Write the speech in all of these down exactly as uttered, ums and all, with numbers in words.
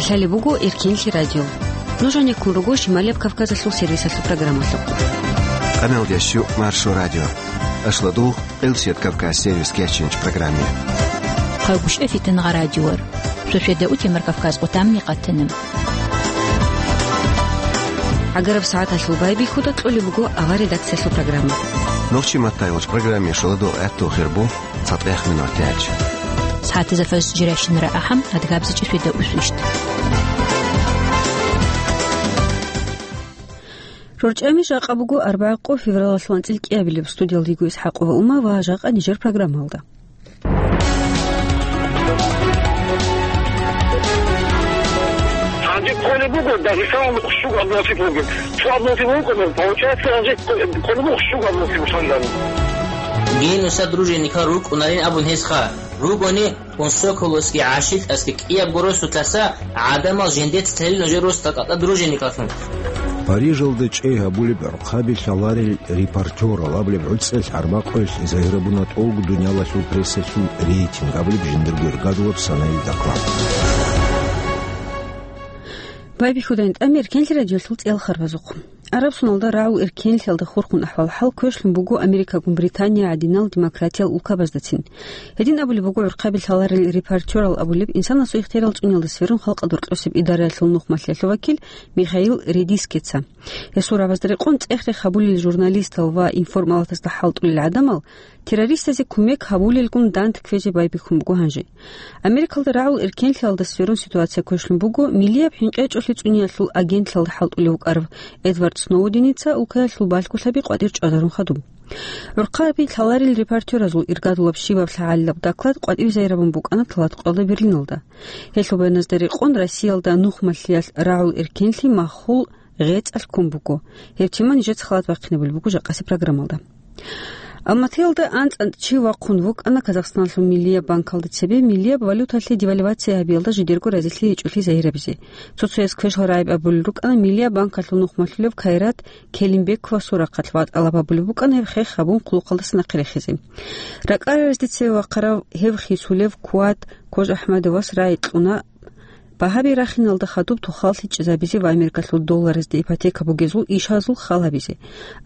Лъалеб буго Эркенлъи радио. Нуж гьанеккун руго Шималияб Кавказалъул сервисалъул программалъухъ. Къамелдящу Маршо радио. Ашладугъ, Къилсият Кавказ сервис кечинч программе. Хъагушев Фитангъа радиор. Шошеда утемар Кавказ къутамни къатана. ГӀагараб сагӀаталъул байбихьуда кьолеб буго авар редакциялъул программа. Нохчи маттайгъоч программе шоладугъ гӀатту хирбо. ЦатӀех минут тяч. СагӀатазда фаз жиращинара ахӀам, адгабзичӀи феда усвищт. РорчӀами жакъа буго арбагӀа къо февралалъул анцӀил кӀиабилеб. Студиялда йиго ИсхӀакъова Ума ва жакъа нижер программалда. Гьанже кколеб буго Дагъистаналда хъущук абносиблъунги. Цо абносиблъун вукӀана, получается, гьанже кколеб буго хъущук абносиблъунги. Генуса дружинникал рукӀунарин абун гьесха, ругони Кунсоколосги ГӀашилтӀасги кӀиябго росулъаса гӀадамал жендец лъелин нужер росдакъа дружинникаллъун. Парижалда чӀей гьабулеб гӀурхъаби лъаларел репортерал абулеб гӀуцӀел гӀарбакъуялъ загьирабуна тӀолго дуниялалъул прессалъул рейтинг абулеб жиндирго иргадулаб санаил доклад. Байбихьудайин тӀами Эркенлъи радиолъул цӀел харбазухъ. Араб суналда рагӀул эркенлъиялда хурхун ахӀвал-хӀал квешлъун буго Америкагун Британия гӀадинал демократиял улкабаздацин. Гьедин абулеб буго гӀурхъаби лъаларел репортерал абулеб, инсанасул ихтиярал цӀуниялда сверун халкъалда рокьосеб идараялъул нухмалъиялъул вакил Михаил Редискица. Гьесул рагӀабазда рекъон цӀех-рех гьабулел журналистал ва информалатазда хӀалтӀулел гӀадамал террористазе кумек гьабулелгун дандквезе байбихьун буго гьанже. Америкалда рагӀул эркенлъиялда сверун ситуация квешлъун буго милияб хӀинкъечӀолъи цӀуниялъул агентлъиялда хӀалтӀулев вукӀарав Эдвард Сноуденица улкаялъул балъголъаби къватӀир чӀвазарун хадуб. ГӀурхъаби лъаларел репортеразул иргадулаб щибаб лъагӀалилаб доклад къватӀибе загьирабун букӀана тӀалаб къоялда Берлиналда. Гьелъул баяназда рекъон Россиялда нухмалъиялъ рагӀул эркенлъи махул гъецӀалъ ккун буго. Гьеб тема нижеца халат бахъинабулеб буго жакъасеб программалда. Алматиялда анцӀ-анцӀ чи вахъун вукӀана Казахстаналъул Миллияб банкалда цебе миллияб валюталъе девальвация гьабиялда жидерго разилъи гьечӀолъи загьирабизе. Цо-цояс квешлъараб гӀайиб абулел рукӀана Миллияб банкалъул нухмалъулев Кайрат Келимбековасул рахъалъ ва тӀалаб гьабулеб букӀана гьеб хех гьабун хъулухъалдаса нахъе рехизе. РакӀараразде цеве вахъарав гьев хисулев Куат Кожахмадовас рагӀи кьуна багьаби рахиналда хадуб тухал лъичӀезабизе ва Америкалъул долларазде ипотека бугезул ишазул хал гьабизе.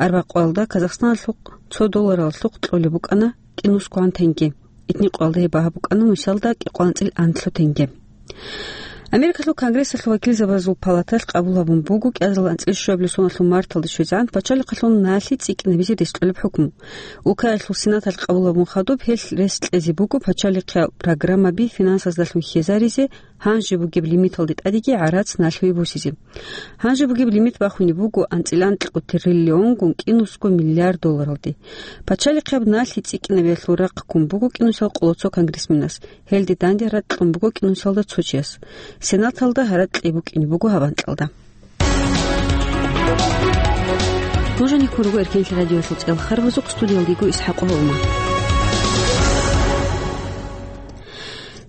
Арбакъоялда Казахстаналъухъ цо долларалъухъ кьолеб букӀана кӀинусгоан тенге. Итникъоялда гьеб багьа букӀана нусалда кӀикъоялда анцӀил анлъго тенге. Америкалъул Конгрессалъул вакилзабазул палаталъ къабул гьабун буго кӀиазул анцӀил щуабилеб соналъул марталда щвезегӀан пачалихъалъул налъи цӀикӀкӀинабизе рес кьолеб хӀукму. Улкаялъул Сенаталъ къабул гьабун хадуб гьелъ рес кьезе буго пачалихъиял программаби финансаздалъун хьезаризе, гьанже бугеб лимиталде тӀадеги гӀарац налъи босизе. Гьанже бугеб лимит бахунеб буго анцӀил анлъго триллионгун кӀинусго миллиард долларалде. Пачалихъияб налъи цӀикӀкӀинабиялъул рахъ ккун буго кӀинусиял къоло цо конгрессменас. Гьелде данде гьаракь кьун буго кӀинусиялда цо чияс. Сенаталда гьаракь кьей букӀине буго гьаб анкьалда. Нуж гьанеккун руго Эркенлъи радиоялъул цӀел харбазухъ, студиялда йиго ИсхӀакъова Ума.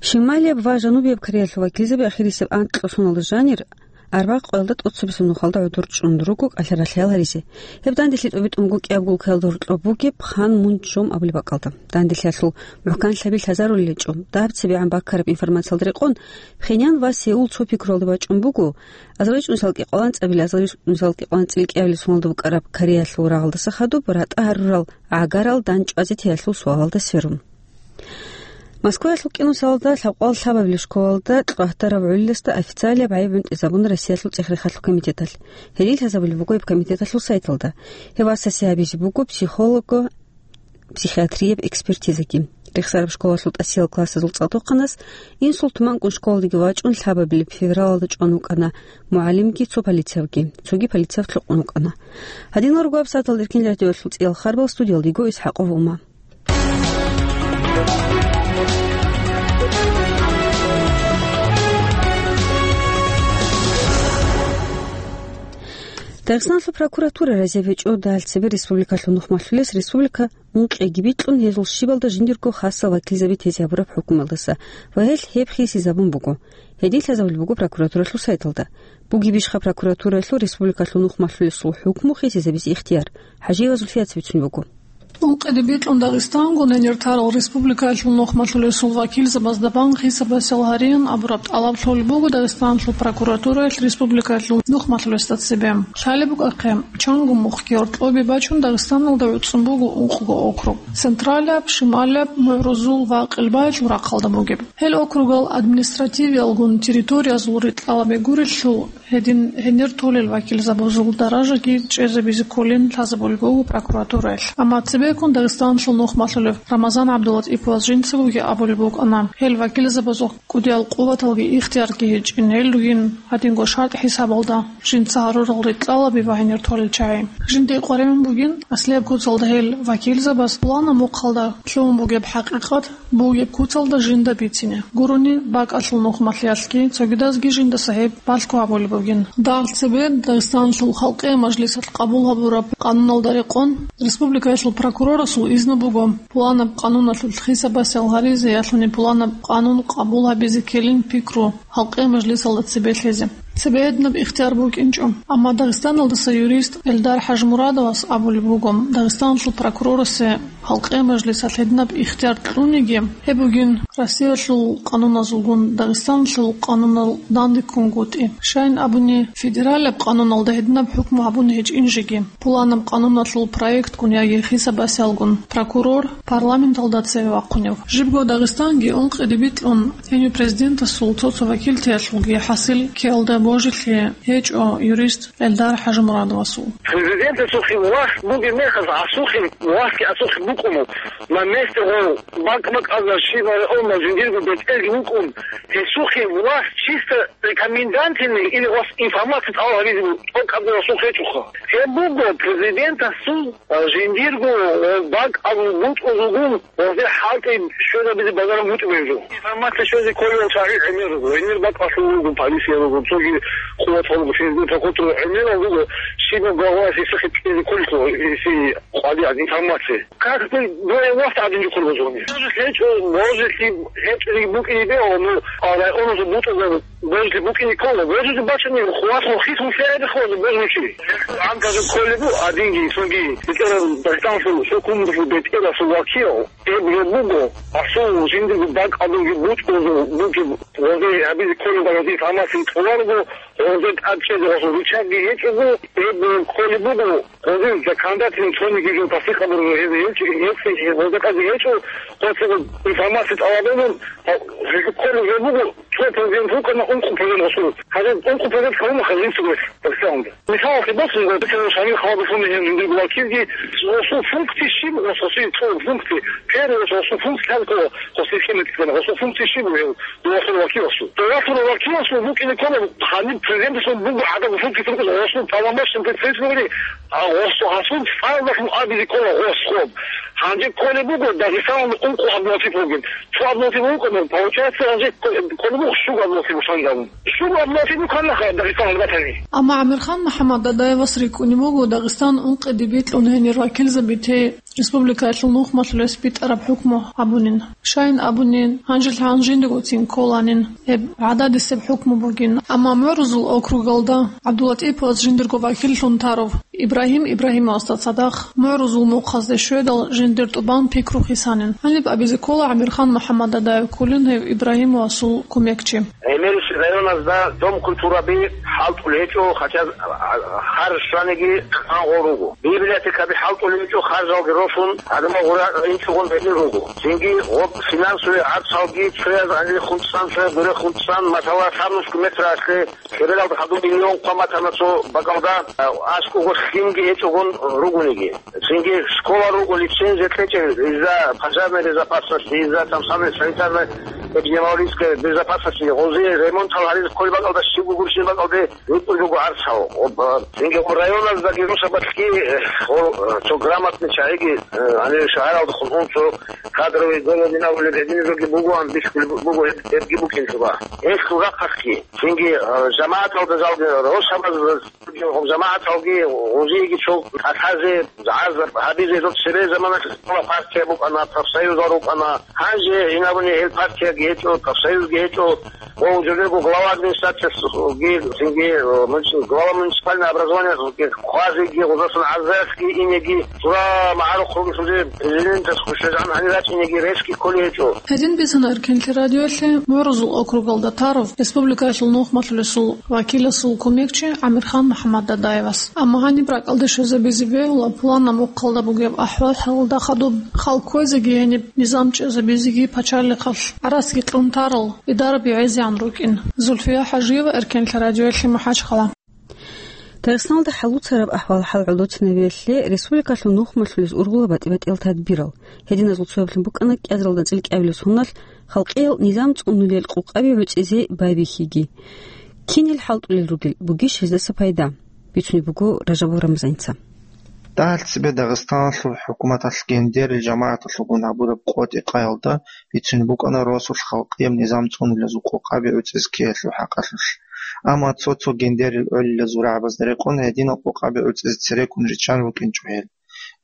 Шималияб ва Жанубияб Кореялъул вакилзаби ахирисеб анкьго соналда жанир арбакъоялда тӀоцебесеб нухалда гӀодор чӀун руго кӀалъа-ралъаял гьаризе. Гьеб данделъи тӀобитӀун буго кӀиябго улкаялда гьоркьоб бугеб Пханмунчжом абулеб бакӀалда. Данделъиялъул мухӀканлъаби лъазарулел гьечӀо. Даб цебегӀан баккараб информациялда рекъон, Пхеньян ва Сеул цо пикруялда бачӀун буго, азарилчӀунусиялда кӀикъоялда анцӀабилеб, азарилчӀунусиялда кӀикъоялда анцӀил кӀиабилеб соналда букӀараб Кореялъул рагъалдаса хадуб ратӀа гьарурал гӀагарал дандчӀвазе теялъул суалалда сверун. Москваялъул кӀинусиялда лъабкъоялда лъабабилеб школалда кьвагьдарав гӀолиласда официалияб гӀайиб гӀунтӀизабуна Россиялъул цӀех-рехалъул комитеталъ. Гьедин лъазабулеб буго гьеб комитеталъул сайталда. Гьев васасе гьабизе буго психолого-психиатрияб экспертизаги. Рехсараб школалъул тӀасиял классазул цӀакъдохъанас инсулт манкӀун школалдеги вачӀун лъабабилеб февралалда чӀван вукӀана мугӀалимги цо полициявги, цоги полицияв лъукъун вукӀана. Гьадинал руго гьабсагӀаталда Эркенлъи радиоялъул цӀиял харбал, студиялда йиго ИсхӀакъова Ума. Дагъистаналъул прокуратура разияб гьечӀо дагьал цебе республикалъул нухмалъулес республика ункъиги бикьун, гьезул щибалда жиндирго хасал вакилзаби тезе гьабураб хӀукмуялдаса ва гьелъ гьеб хисизабун буго. Гьедин лъазабулеб буго прокуратуралъул сайталда. Бугебищха прокуратураялъул республикалъул нухмалъулесул хӀукму хисизабизе ихтияр? ХӀажиева Зульфият бицунеб буго. Ункъиде бикьун Дагъистангун гьенир тарал республикаялъул нухмалъулесул вакилзабазда бан хисабасел гьариян абураб тӀалаб лъолеб буго Дагъистаналъул прокуратураялъ республикаялъул нухмалъулесда цебе. Лъалеб букӀахъе, чанго мухъги гьоркьобе бачун Дагъистаналда гӀуцӀун буго ункъго округ: Централаб, Шималаб, МугӀрузул ва Къелбаялъул рахъалда бугеб. Гьел округал административиялгун территориязул рикьалаби гурелъул, гьедин гьенир толел вакилзабазул даражаги чӀезабизе кколин лъазабулеб буго прокуратураялъ. Амма цебеккун Дагъистаналъул нухмалъулев Рамазан ГӀабдулатӀиповас жинцагоги абулеб букӀана, гьел вакилзабазул кӀудиял къуваталги ихтиярги гьечӀин, гьел ругин гьадинго шартӀ хӀисабалда жинца гьарурал рикьалаби ва гьенир толел чагӀи. Жинда къваригӀун бугин аслияб куцалда гьел вакилзабаз пуланаб мухъалда лъугьун бугеб хӀакъикъат бугеб куцалда жинда бицине. Гурони бакӀалъул нухмалъиялъги цогидазги жинда гьеб балъго гьабулеб бугин. Дагь цебе Дагъистаналъул Халкъиял Мажлисалъ къабул гьабураб къануналда рекъон, республикаялъул прокурорасул изну буго пуланаб къануналъулъ хисабасел гьаризе ялъуни пуланаб къанун къабул гьабизе ккелин пикру Халкъиял Мажлисалда цебе лъезе. Цебе гьединаб ихтияр букӀинчӀо. Амма Дагъистаналдаса юрист Эльдар ХӀажимурадовас абулеб буго, Дагъистаналъул прокурорасе Халкъиял Мажлисалъ гьединаб ихтияр кьуниги, гьеб бугин Россиялъул къануназулгун Дагъистаналъул къанунал дандеккунгутӀи. Щайин абуни, федералаб къануналда гьединаб хӀукму гьабун гьечӀин жеги, пуланаб къануналъул проектгун яги хисабасиялгун прокурор парламенталда цеве вахъунев. Жибго Дагъистанги ункъиде бикьун, гьенив президентасул цо-цо вакилтиялъулги хӀасил ккеялда божилъи гьечӀо юрист Эльдар ХӀажимурадовасул. Президентасухъе власть бугеб мехалъ, асухъе властги асухъе букӀуна, на месте гъов бакӀ-бакӀалда щиб гьарун жиндирго бетӀерги вукӀун, гьесухъе власть чисто рекомендательный или вас информация тӀалаб гьабизе тӀокӀаб асухъ гьечӀоха. Гьеб буго президентасул, а, жиндирго, а, бакӀ абун бутӀрузулгун, гьезде хӀалтӀи щвезабизе бажарун бутӀрузул. Информация щвезе кколел чагӀи гӀемер руго, гьенир бакӀалъул руго, полиция руго, цоги къуватал руго, физбин прокуратура гӀемерал руго, щибаб главаялъ гьесухъе кьезе кколелъул, гьесие къвалигӀан информация. Как бы двое вас один же курбазуни. Может, гьечӀо, может, гьечӀо букӀине бегьу, ну, а районазул бутӀазул Божи букӀине ккола, божи бачани, хвасун хисун лъеда хваза, божи чи. Анказа кколебу, адинги, цоги, бетӀерал Дагъистанлъул хӀукуматалъул бетӀерасул вакил, гьеб гьеб буго, асул жиндирго бакӀалдулги бутӀрузул бугеб, гъозе гьабизе кколеб гъозе информация тӀоларого, гъозе тӀадчӀезе гъосул рычагги гьечӀого, гьеб кколеб буго, гъозе законодательный цониги жо тасдикъ гьабурого гьез гьечӀо, гьес гъозе къази гьечӀо, гъосе информация тӀалабун, гьеб кколеб гьеб буго, Цо президент вукӀана ункъо президент гъосул. Гьанже ункъо президент кавуна хазинцевес Дагъистаналда. Мисалалъе босун, Дагъистаналда Шамил Халабов вугев жиндирго вакилги, гъосул функция щиб, гъосул цо функция, первый гъосул функция лъалкъо, гъосул химик ккана, гъосул функция щиб бугев, дугьалъул вакиласул. Дугьалъул вакиласул букӀине ккола, гьаниб президентасул буго гӀадаб функция тӀуркӀула, гъосул полномочный представитель бугели, а гъосул гьасул файлалъун абизе ккола гъос хоб. Гьанже кколеб буго Дагъистаналда ункъо Абдулатипов вугев. Цо Абдулатипов вукӀана, получается, гьанже кколеб буго щуго Абдулатипов шангалун. Щуго Абдулатипов вукӀана ха Дагъистаналда батани. Амма ГӀамирхан МухӀаммад Дадаевас рикӀкӀунеб буго Дагъистан ункъиде бикьун гьенир вакилзабизе республикаялъул нухмалъулес битӀараб хӀукму гьабунин. Щайин абуни, гьанжелъ гьанжиндагоцин кколанин гьеб гӀададисеб хӀукму бугин. Амма МугӀрузул округалда ГӀабдулатӀиповас жиндирго вакиллъун тарав Ибрагьим Ибрагьимовасда цадахъ МугӀрузул мухъазде щведал жиндир тӀубан пикру хисанин. Гьаниб абизе ккола ГӀамирхан МухӀаммад Дадаев кколин гьев Ибрагьимовасул кумекчи. ГӀемерисеб районазда дом культураби хӀалтӀулел гьечӀо, хотя гьар щваниги къан гъол руго. Библиотекаби хӀалтӀулел гьечӀо, харжалги росун, гӀадамал гъура инчӀогъун гьенир руго. Цинги гъоб финансовый гӀарцалги цояз гьанир хунцӀсан, цояз дуре хунцӀсан, масала, Сарнуску метралъе хиралда хадуб миллион хъван батана цо бакӀалда, а, аскӀого лъимги гьечӀогъун ругониги. Цинги школа руго, лицензия кьечӀел, из-за пожарной безопасности, из-за там самой санитарно-эпидемиологической безопасности, гъози ремонтал гьаризе кколеб бакӀалда щиб гурищин бакӀалде ритӀулеб буго гӀарцал. Об, цинги гъо районаздаги росабалъги, э, гъо, э, цо грамотный чагӀиги, э, гьанир шагьаралда хутӀун цо кадровый голодин абулеб гьединизеги бугоан бихьулеб буго гьеб-, гьебги букӀин цоба. Гьелъул рахъалъги, цинги, э, жамагӀаталда залги росабаз Гьеб жамагӀаталги гъозиеги цо кӀалъазе, гӀазаб гьабизе, цебе заманалъ партия букӀана, профсоюзал рукӀана. Гьанже гьинабуни гьел партияги гьечӀо, профсоюзги гьечӀо, ва жодего глава администрациясги, цинги, э, муници-, глава муниципального образования, хъвазеги, гъозасан гӀарзаялъги инеги, сура магӀарухъ ругелъулги президентас хъущазгӀан гьанир рачӀинеги ресги кколей гьечӀо. Гьедин бицана Эркенлъи радиоялъе МугӀрузул округалда тарав республикаялъул нухмалъулесул вакиласул кумекчи ГӀамирхан МухӀаммад Дадаевас. Амма гьаниб ракӀалде щвезабизе бегьула планна мухъалда бугеб ахӀвал-хӀалалда хадуб халкъ кквезеги гьениб низам чӀезабизеги пачалихъалъ гӀарацги кьун тарал идараби гӀезегӀан рукӀин. Зульфия ХӀажиева, Эркенлъи радиоялъе, МахӀачхъала. Дагъистаналда хӀалуцараб ахӀвал-хӀал гӀолоцинабиялъе республикалъул нухмалъулез ургъула батӀи-батӀиял тадбирал. Гьединазул цояблъун букӀана кӀиазаралда анцӀила кӀиабилеб соналъ халкъиял низам цӀунулел къокъаби гӀуцӀизе байбихьиги. Кинел хӀалтӀулел ругел, бугищ гьездаса пайда? Бицунеб буго Ражабов Рамзаница. Дагьал цебе Дагъистаналъул хӀукуматалъ гендерил жамагӀаталъулгун гьабураб къотӀи-къаялда бицунеб букӀана росулъ халкъияб низам цӀунулезул къокъаби гӀуцӀизе ккеялъул хӀакъалъулъ. Амма цо-цо гендерил гӀолилазул рагӀабазда рекъон гьединал къокъаби гӀуцӀизе цереккун риччан рукӀинчӀо гьел.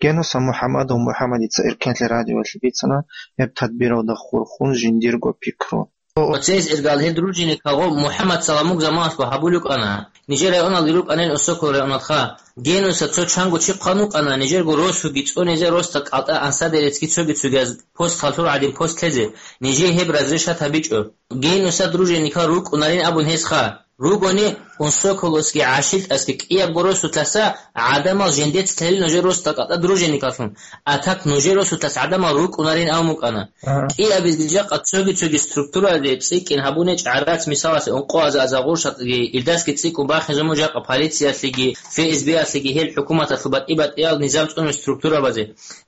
Генуса МухӀаммадов МухӀаммадица Эркенлъи радиоялъе бицана гьеб тадбиралда хурхун жиндирго пикру. Оцез иргал гьел дружинникалго МухӀаммад Саламук заманалъго гьабулев кӀана. Нижер районалде рукӀанин Осокол районалха. Генуса цо чанго чи хъван вукӀана, нижерго росуги цӀунизе росда кӀалтӀа ансадерецги цоги-цогияз пост халлъур гӀадин пост лъезе, нижее гьеб разрешат гьабичӀо. Генуса дружинникал рукӀунарин абун гьесха. Ругони, Осоколосги ГӀашилтӀасги кӀиябго росулъаса гӀадамал жендец лъелин нужер росда кӀалтӀа дружинникаллъун, а так нужер росулъас гӀадамал рукӀунарин абун букӀана. Ага. КӀиабизги жакъа цоги-цоги структуразе цӀикӀкӀин гьабунечӀ гӀарац, мисаласе, ункъоаза аза гъуршатӀги, илдасги цӀикӀкӀун бахизе мун жакъа полициялъеги, ФСБ-ялъеги гьел хӀукуматалъул батӀи-батӀиял низам цӀунел структурабазе.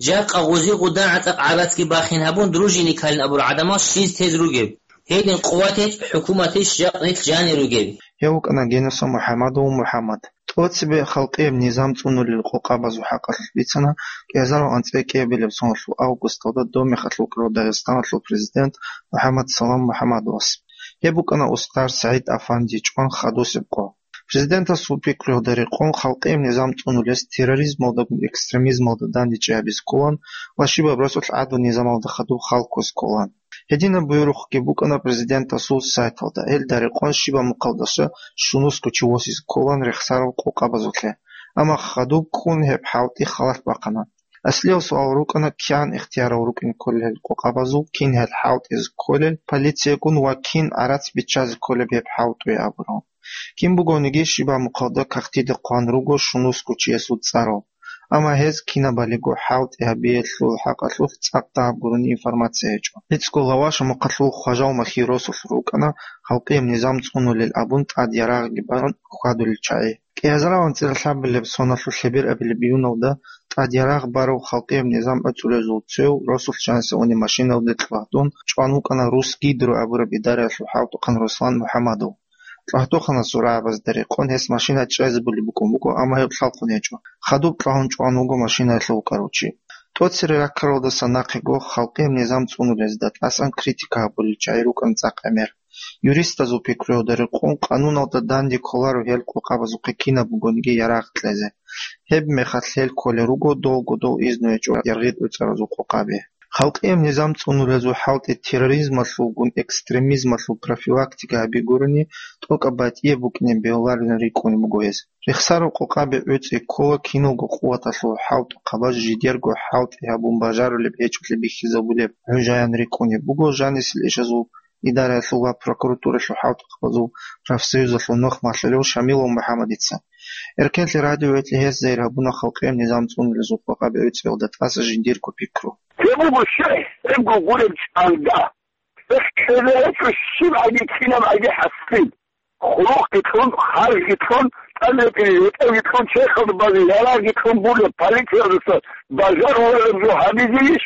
Жакъа гъузи-гъудан гӀатӀакъ гӀарацги бахин гьабун, дружинникалин абурал гӀадамал щиз тез ругеб? Гьедин къуватищ, хӀукуматищ жакъ нилъ жанир ругеб? Гьев вукӀана Генуса МухӀаммадов МухӀаммад. ТӀоцебе халкъияб низам цӀунулел къокъабазул хӀакъалъулъ бицана кӀиазарал анцӀила кӀиабилеб соналъул августалда доб мехалъ вукӀарав Дагъистаналъул президент МухӀаммад Салам МухӀаммадовас. Гьеб букӀана устар СагӀид Афанди чӀван хадусеб къо. Президентасул пикруялда рекъон халкъияб низам цӀунулес терроризмалдагун экстремизмалда дандечӀей гьабизе кколан ва щибаб росулъ гӀадлу низамалда хадуб хал ккозе кколан. Гьединаб буюрухъги букӀана президентасул сайталда, гьелда рекъон щибаб мухъалдаса щунусго чи восизе кколан рехсарал къокъабазулъе. Амма хадуб ккун гьеб хӀалтӀи халат бахъана. Аслияв суал рукӀана, кигӀан ихтиярал рукӀине кколел гьел къокъабазул, кин гьел хӀалтӀизе кколел полициягун ва кин гӀарац биччазе кколеб гьеб хӀалтӀуе абурал. Кин бугониги щибаб мухъалда кагътида хъван руго щунусго чиясул цӀарал. Амма гьез кинабалиго хӀалтӀи гьабиялъул хӀакъалъулъ цӀакъ дагьаб гурони информация гьечӀо. ГӀицӀго Лаваша мухъалъул Хважал Махьи росулъ рукӀана халкъияб низам цӀунулел абун тӀад ярагъги барун хьвадулел чагӀи. КӀиазарал анцӀила лъабабилеб соналъул лъеберабилеб июналда тӀад ярагъ барав халкъияб низам гӀуцӀулезул цев росулъ жаниса унеб машиналде кьвагьдун чӀван вукӀана Рус Гидро абураб идараялъул хӀалтӀухъан Руслан МухӀаммадов. Кьвагьтухъанасул рагӀабазда рекъон гьес машина чӀезабулеб букӀун буго, амма гьеб лъалхъун гьечӀо. Хадуб кьвагьун чӀван вуго машинаялъув вукӀарав чи. ТӀоцере раккаралдаса нахъего халкъияб низам цӀунулезда тӀасан критика гьабулел чагӀи рукӀана цӀакъ гӀемер. Юристазул пикруялда рекъон, къануналда данде кколаро гьел къокъабазухъе кинаб бугониги ярагъ кьезе. Гьеб мехалъ гьел кколел руго долго дол изну гьечӀо яргъи тӀуцӀаразул къокъаби. Халкъияб низам цӀунулезул хӀалтӀи терроризмалъулгун экстремизмалъул профилактика гьаби гурони, тӀокӀаб батӀияб букӀине бегьуларилан рикӀкӀунеб буго гьез. Рехсараб къокъаби гӀуцӀи ккола киналго къуваталъул хӀалтӀухъабаз жидерго хӀалтӀи гьабун бажарулеб гьечӀолъи бихьизабулеб гӀужаян рикӀкӀунеб буго жанисел ишазул идараялъул ва прокуратуралъул хӀалтӀухъабазул профсоюзалъул нухмалъулев Шамилов МухӀаммадица. Эркенлъи радиоялъе гьез зайир гьабуна халкъияб низам цӀунулезул къокъаби гӀуцӀиялда тӀаса жиндирго пикру. Гьеб буго щай, гьебго гуреб чӀалда. Эхь, ккезе гьечӀо щибгӀаги кинабгӀаги хӀасил. Хъулухъги кьун, харжги кьун, тӀад ретӀел ретӀелги кьун, черхалда базе ярагъги кьун бугеб полициялдаса бажарулареб жо гьабизейищ?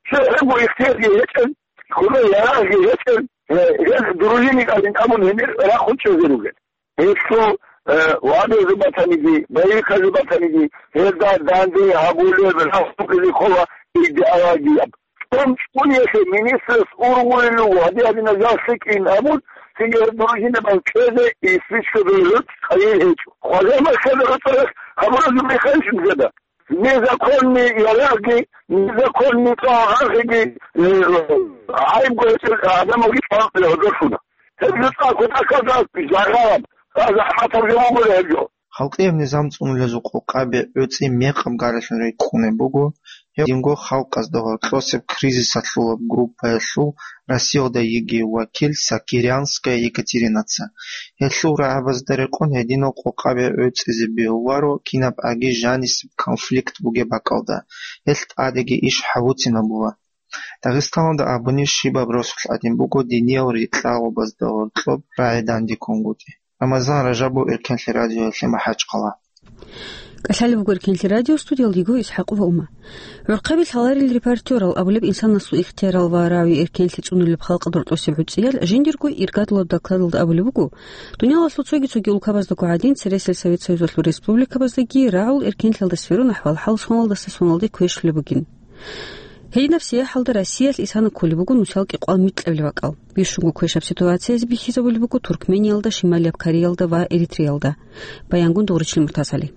Цо гьебго ихтиярги гьечӀел, хьуна ярагъги гьечӀел, гье, гьез дружинникалин абун гьенир рахун чӀезе ругел. Гьелъул, э, вагӀзазе батаниги, байихъазе батаниги, гьезда данде гьабулеб рахъухъизе ккола идеологияб. ЧӀун-чӀунелъе министрас ургъулел руго, гьадин-гьадинал жал лъикӀин абун, цинги гьеб дружинабаз кьезе, и спичкабазул гӀуцӀ хъайил гьечӀо. Хважал Махьида гӀуцӀарахъ гьабуразул мехалъ жинцада. Незаконный ярагъги, незаконный тӀагӀаргиги, э, гӀайиб гьечӀел гӀадамалги чӀвалкье гьодолъуна. Гьеб жо цӀакъ кутакалда жагьараб, гьаза хӀатаб жо буго гьеб жо. Халкъияб низам цӀунулезул къокъаби гӀуцӀи мекъаб гаралъун рекӀкӀунеб буго, гьев динго халкъазда гьоркьосеб кризисалъулаб группаялъул Россиялда йигей вакил Сакирянская Екатеринаца. Гьелъул рагӀабазда рекъон гьединал къокъаби гӀуцӀизе бегьуларо кинаб аги жанисеб конфликт бугеб бакӀалда, гьелъ тӀадеги иш гьабуцин абула. Дагъистаналда абуни щибаб росулъ гӀадин буго диниял рикьалабазда гьоркьоб рагӀи дандеккунгутӀи. Рамазан Ражабов, Эркенлъи радиоялъе, МахӀачхъала. КӀалъалеб буго Эркенлъи радио, студиялда йиго ИсхӀакъова Ума. ГӀурхъаби лъаларел репортерал абулеб инсанасул ихтиярал ва рави эркенлъи цӀунулеб халкъ дортлъусеб гӀуцӀиял жиндирго иргадулаб докладалда абулеб буго, дуниялалъул цоги-цоги улкабаздаго гӀадин, цересел Совет Союзалъул республикабаздаги рагӀул эркенлъиялда сверун ахӀвал-хӀал соналдаса соналде квешлъулеб бугин. Гьединаб сияхӀалда Россиялъ исана кколеб буго нусал кӀикъвал микьабилеб бакӀал. Бищунго квешаб ситуациязе бихьизабулеб буго Туркмениялда, Шималияб Кореялда ва Эритреялда. Баянгун Дугъричлъи МуртазгӀали.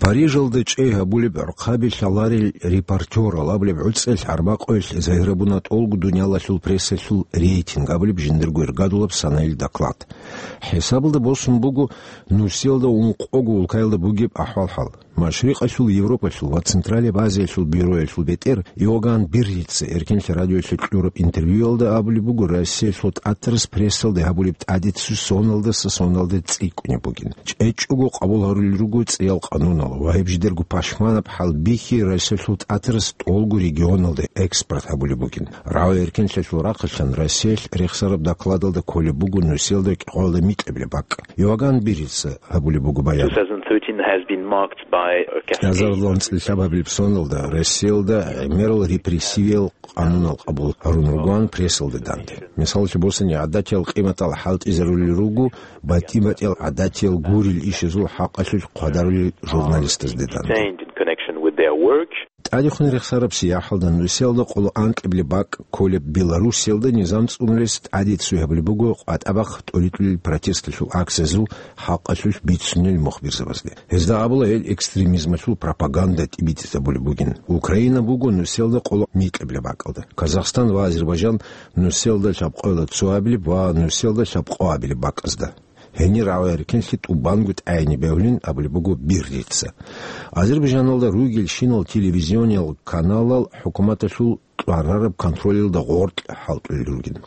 Парижалда чӀей гьабулеб гӀурхъаби лъаларел репортерал абулеб гӀуцӀел гӀарбакъуялъ загьирабуна тӀолго дуниялалъул прессалъул рейтинг абулеб жиндирго иргадулаб санаил доклад. ХӀисабалда босун буго нусиялда ункъого улкаялда бугеб ахӀвал-хӀал. Машрикъалъул Европалъул ва Централияб Азиялъул бюроялъул бетӀер Иоганн Биррица Эркенлъи радиоялъе кьураб интервьюялда абулеб буго, Россиялъул тӀатарас прессалде гьабулеб тӀадицу соналдаса соналде цӀикӀкӀунеб бугин. ЧӀечӀого къабул гьарулел руго цӀиял къанунал ва гьеб жидерго пашманаб хӀалбихьи Россиялъул тӀатарас тӀолго регионалде экспорт гьабулеб бугин. РагӀи эркенлъиялъул рахъалъан Россиялъ рехсараб докладалда кколеб буго нусиялда кӀикъвалда микьабилеб бакӀ. Иоганн Биррица гьабулеб буго баян. Two thousand thirteen has been marked by a cascade of кӀиазарилан цӀилъабабилеб соналда Россиялда гӀемерал репрессивиял къанунал къабул гьарун ругоан прессалде данде. Мисаллъи босани, гӀадатиял къиматал хӀалтӀизарулел руго, батӀи-батӀиял гӀадатиял гурел ишазул хӀакъалъулъ хъвадарулел журналистазде данде. Detained in connection with their work. ТӀадехун рехсараб сияхӀалда нусиялда къоло анкьабилеб бакӀ кколеб Белоруссиялда низам цӀунулес тӀадицу гьабулеб буго къватӀабахъ тӀоритӀулел протесталъул акциязул хӀакъалъулъ бицунел мухбирзабазде. Гьезда абула гьел экстремизмалъул пропаганда тӀибитӀизабулеб бугин. Украина буго нусиялда къоло микьабилеб бакӀалда. Казахстан ва Азербайджан нусиялда лъабкъоялда цоабилеб ва нусиялда лъабкъоабилеб бакӀазда. Гьенир рагӀи эркенлъи тӀубанго тӀагӀине бегьулин абулеб буго Биррица. Азербайджаналда ругелщинал телевизиониял каналал хӀукуматалъул кьварараб контролалда гъоркь хӀалтӀулел ругин.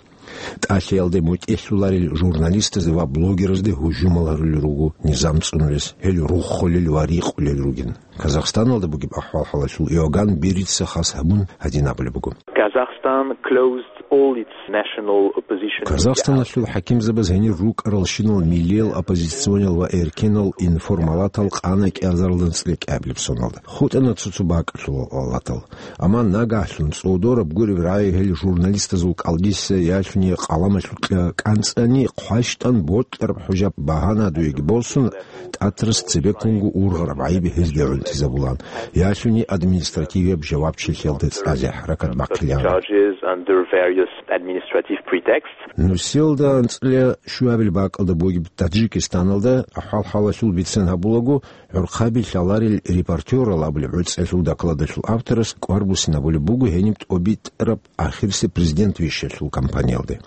ТӀалъиялде мутӀигӀлъуларел журналистазде ва блогерзде гьужумал гьарулел руго низам цӀунулес, гьел руххулел ва рикъулел ругин. Казахстаналда бугеб ахӀвал-хӀалалъул Иоганн Биррица хас гьабун гьадин абулеб буго. Kazakhstan closed all its national opposition media outlets. Казахстаналъул хӀакимзабаз гьенир рукӀаралщинал миллиял оппозициониял ва эркенал информалатал къана кӀиазарилан цӀикӀкӀабилеб соналда. ХутӀана цо-цо бакӀалъулал алатал. Амма нагагьлъун цӀодораб гуреб рагӀи гьел журналистазул кӀалдиса ялъуни къаламалъукьа кӀанцӀани хъващтӀан бокьараб хӀужаб багьана дуеги босун, тӀатарас цебеккунго ургъараб гӀайиб гьезде гӀунтӀизабулан, ялъуни административияб жавабчилъиялда цӀализе хӀаракат бахъилаан. Charges under various administrative pretexts. Нусиялда анцӀила щуабил бакӀалда бугеб Таджикистаналда ахӀвал-хӀалалъул бицен гьабулаго, гӀурхъаби лъаларел репортерал абулеб гӀуцӀелъул докладалъул авторас кӀвар буссинабулеб буго гьениб тӀобитӀараб ахирисеб президент вищалъул кампаниялде.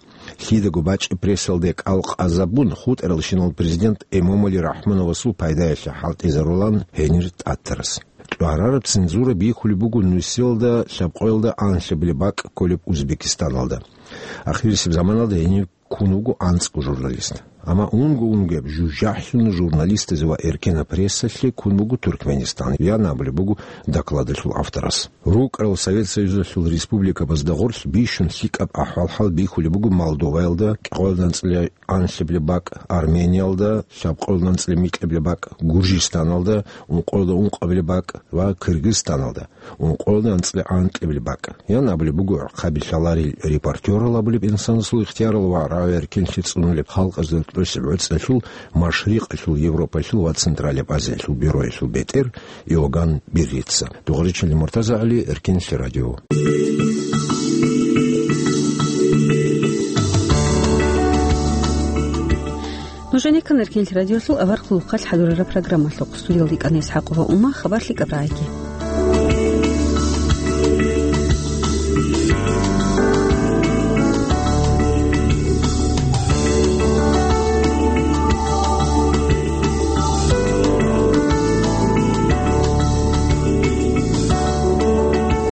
Лъидаго бачӀи прессалде кӀал къазабун, хутӀаралщинал президент Эмомали Рахмоновасул пайдаялъе хӀалтӀизарулан гьенир тӀатарас. КьвагӀараб цензура бихьулеб буго нусиялда лъабкъоялда анлъабилеб бакӀ кколеб Узбекистаналда. Ахирисеб заманалда гьенив ккун вуго анцӀго журналист. Амма унго-унгояб жужахӀлъун журналистазе ва эркенаб прессалъе ккун буго Туркменистан, ян абулеб буго докладалъул авторас. РукӀарал Совет Союзалъул республикабазда гъорлъ бищун лъикӀаб ахӀвал-хӀал бихьулеб буго Молдоваялда, кӀикъоялда анцӀила анлъабилеб бакӀ, Армениялда, лъабкъоялда анцӀила микьабилеб бакӀ, Гуржистаналда, ункъоялда ункъабилеб бакӀ ва Кыргызстаналда, ункъоялда анцӀила анкьабилеб бакӀ. Ян абулеб буго гӀурхъаби лъаларел репортерал абулеб инсанасул ихтиярал ва рагӀи-эркенлъи цӀунулеб халкъазда тӀоцеб гӀуцӀелъул, Машрикъалъул, Европалъул ва Централияб Азиялъул бюроялъул бетӀер Иоганн Биррица. Дугъричилли МуртазагӀали, Эркенлъи радио. Нуж гӀенеккан Эркенлъи радиолъул аварагасул хъалихъ хӀадурараб программалъухъ. Студиялда йикӀана ИсхӀакъова Ума, хабар лъикӀаб рагӀиги.